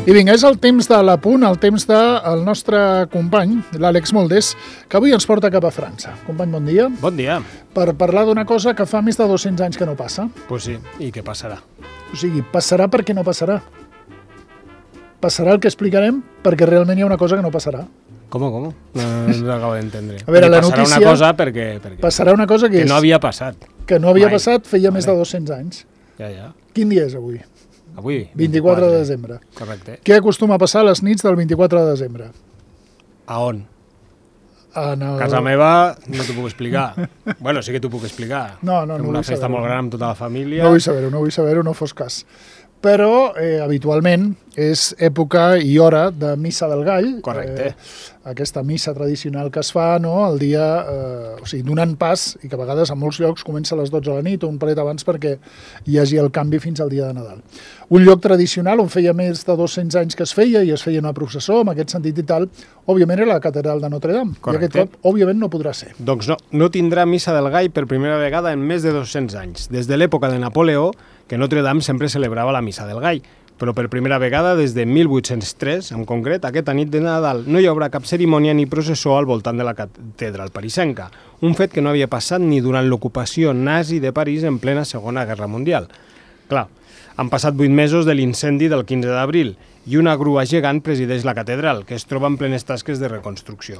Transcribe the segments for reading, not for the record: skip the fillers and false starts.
I vinga, és el temps de l'Apunt, el temps del nostre company, l'Àlex Moldés, que avui ens porta cap a França. Company, bon dia. Bon dia. Per parlar d'una cosa que fa més de 200 anys que no passa. Pues sí, i què passarà? O sigui, passarà perquè no passarà. Passarà el que explicarem perquè realment hi ha una cosa que no passarà. Com? No l'acabo d'entendre. A veure, la passarà notícia... una cosa perquè... Passarà una cosa que no havia passat. Que no havia mai. Passat feia més de 200 anys. Ja. Quin dia és avui? Avui? 24 de desembre. Correcte. Què acostuma a passar a les nits del 24 de desembre? A on? A casa meva no t'ho puc explicar. Bueno, sí que t'ho puc explicar. No Fem una festa molt gran amb tota la família. No vull saber-ho, no fos cas. Però habitualment és època i hora de Missa del Gall. Correcte. Aquesta missa tradicional que es fa, no?, el dia, o sigui, donant pas, i que a vegades a molts llocs comença a les 12 de la nit o un paret abans perquè hi hagi el canvi fins al dia de Nadal. Un lloc tradicional on feia més de 200 anys que es feia i es feia una processó, en aquest sentit i tal, òbviament era la catedral de Notre Dame. Correcte. I aquest cop, òbviament, no podrà ser. Doncs no tindrà Missa del Gall per primera vegada en més de 200 anys. Des de l'època de Napoleó, que Notre Dame sempre celebrava la Missa del Gall, però per primera vegada des de 1803, en concret, aquesta nit de Nadal no hi haurà cap cerimònia ni processó al voltant de la catedral parisenca, un fet que no havia passat ni durant l'ocupació nazi de París en plena Segona Guerra Mundial. Clar, han passat 8 mesos de l'incendi del 15 d'abril i una grua gegant presideix la catedral, que es troba en plenes tasques de reconstrucció.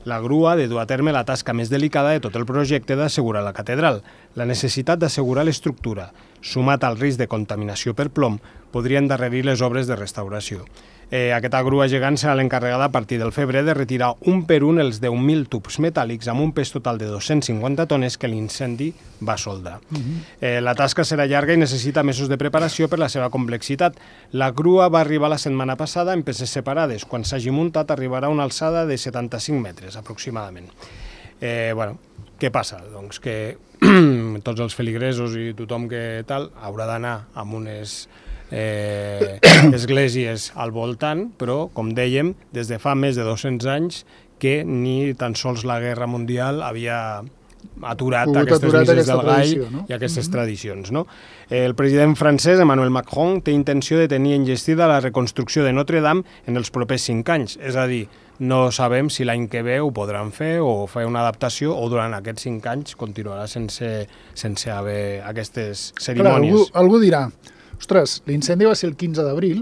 La grua ha de dur a terme la tasca més delicada de tot el projecte d'assegurar la catedral. La necessitat d'assegurar l'estructura, sumat al risc de contaminació per plom, podria endarrerir les obres de restauració. Aquesta grua gegant serà l'encarregada a partir del febrer de retirar un per un els 10.000 tubs metàl·lics amb un pes total de 250 tones que l'incendi va soldar. La tasca serà llarga i necessita mesos de preparació per la seva complexitat. La grua va arribar la setmana passada en peces separades. Quan s'hagi muntat arribarà a una alçada de 75 metres aproximadament. Què passa? Doncs que tots els feligresos i tothom que tal haurà d'anar amb unes esglésies al voltant, però, com dèiem, des de fa més de 200 anys que ni tan sols la Guerra Mundial havia aturat aquestes misses del Gall, no? I aquestes tradicions. No? El president francès, Emmanuel Macron, té intenció de tenir enllestida la reconstrucció de Notre Dame en els propers 5 anys, és a dir, no sabem si l'any que ve ho podran fer o fer una adaptació o durant aquests 5 anys continuarà sense haver aquestes cerimònies. Clar, algú dirà, ostres, l'incendi va ser el 15 d'abril,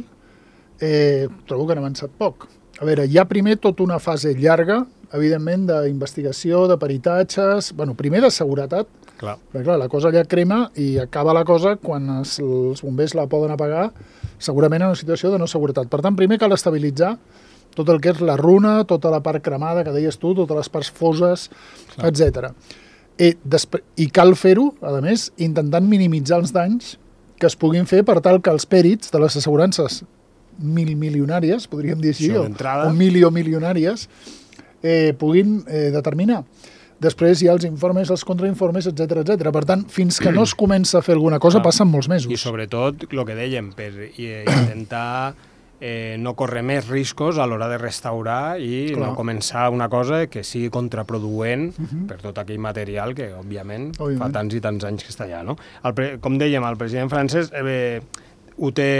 trobo que han avançat poc. A veure, hi ha primer tota una fase llarga, evidentment, d'investigació, de peritatges, primer de seguretat, perquè clar, la cosa ja crema i acaba la cosa quan els bombers la poden apagar, segurament en una situació de no seguretat. Per tant, primer cal estabilitzar tot el que és la runa, tota la part cremada que deies tu, totes les parts foses, etc. I cal fer-ho, a més, intentant minimitzar els danys que es puguin fer per tal que els pèrits de les assegurances milionàries, podríem dir així, o milionàries, puguin determinar. Després hi ha els informes, els contrainformes, etc. Per tant, fins que no es comença a fer alguna cosa, passen molts mesos. I sobretot, el que dèiem, per intentar no córrer més riscos a l'hora de restaurar i no començar una cosa que sigui contraproduent per tot aquell material que, òbviament, fa tants i tants anys que està allà. No? Com dèiem, el president francès ho té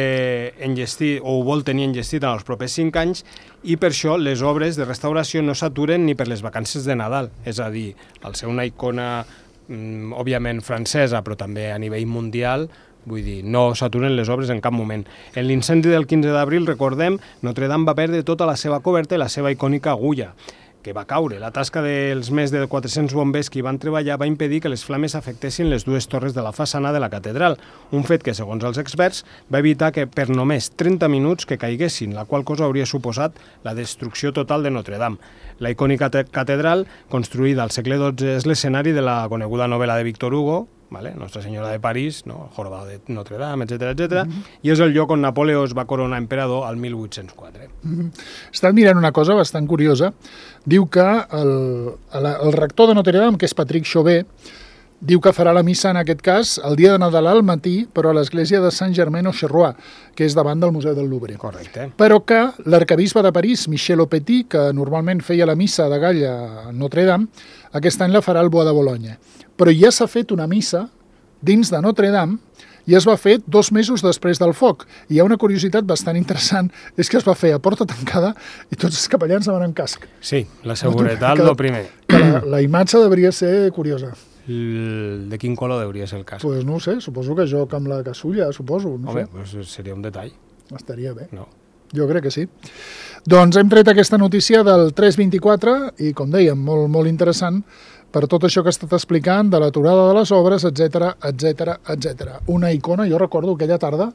enllestit o ho vol tenir enllestit en els propers 5 anys i per això les obres de restauració no s'aturen ni per les vacances de Nadal. És a dir, al ser una icona, òbviament, francesa, però també a nivell mundial, vull dir, no s'aturen les obres en cap moment. En l'incendi del 15 d'abril, recordem, Notre Dame va perdre tota la seva coberta i la seva icònica agulla, que va caure. La tasca dels més de 400 bombers que hi van treballar va impedir que les flames afectessin les dues torres de la façana de la catedral, un fet que, segons els experts, va evitar que per només 30 minuts que caiguessin, la qual cosa hauria suposat la destrucció total de Notre Dame. La icònica catedral, construïda al segle XII, és l'escenari de la coneguda novel·la de Victor Hugo, Nostra Senyora de París, el Jorobado de Notre Dame, etc. I és el lloc on Napoleó es va coronar emperador al 1804. Estan mirant una cosa bastant curiosa. Diu que el rector de Notre Dame, que és Patrick Chauvet, diu que farà la missa, en aquest cas, el dia de Nadal al matí, però a l'església de Saint-Germain-Auxerrois, que és davant del Museu del Louvre. Correcte. Però que l'arquebisbe de París, Michel Aupetit, que normalment feia la missa de Gall a Notre Dame, aquest any la farà al Bois de Boulogne. Però ja s'ha fet una missa dins de Notre Dame i es va fer 2 mesos després del foc. I hi ha una curiositat bastant interessant, és que es va fer a porta tancada i tots els capellans anaven amb casc. Sí, la seguretat, lo primer. La imatge devia ser curiosa. De quin color hauria ser el casc? Pues no ho sé, suposo que joc amb la casulla, suposo. No Home, sé. pues seria un detall. Estaria bé. No. Jo crec que sí. Doncs hem tret aquesta notícia del 324 i, com dèiem, molt, molt interessant per tot això que he estat explicant, de l'aturada de les obres, etc etc. Una icona, jo recordo aquella tarda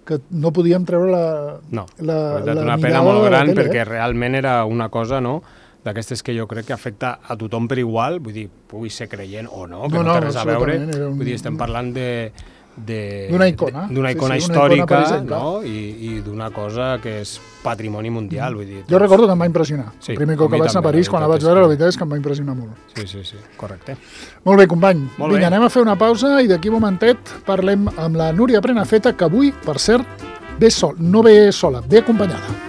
que no podíem treure No, la una pena mirada molt de la gran tele, perquè realment era una cosa, no?, d'aquestes que jo crec que afecta a tothom per igual, vull dir, pugui ser creient o no, que no té res a veure, vull dir, estem parlant d'una icona. D'una icona Sí, històrica, una icona, no?, i d'una cosa que és patrimoni mundial, vull dir. Jo recordo que em va impressionar. Sí, El primer cop a mi que vaig anar a també, París, la quan la veritat vaig veure, és la que- veritat és que em va impressionar molt. Sí, correcte. Molt bé, company. Molt Vinga, bé. anem a fer una pausa i d'aquí un momentet parlem amb la Núria Prenafeta, que avui, per cert, ve sola, ve acompanyada.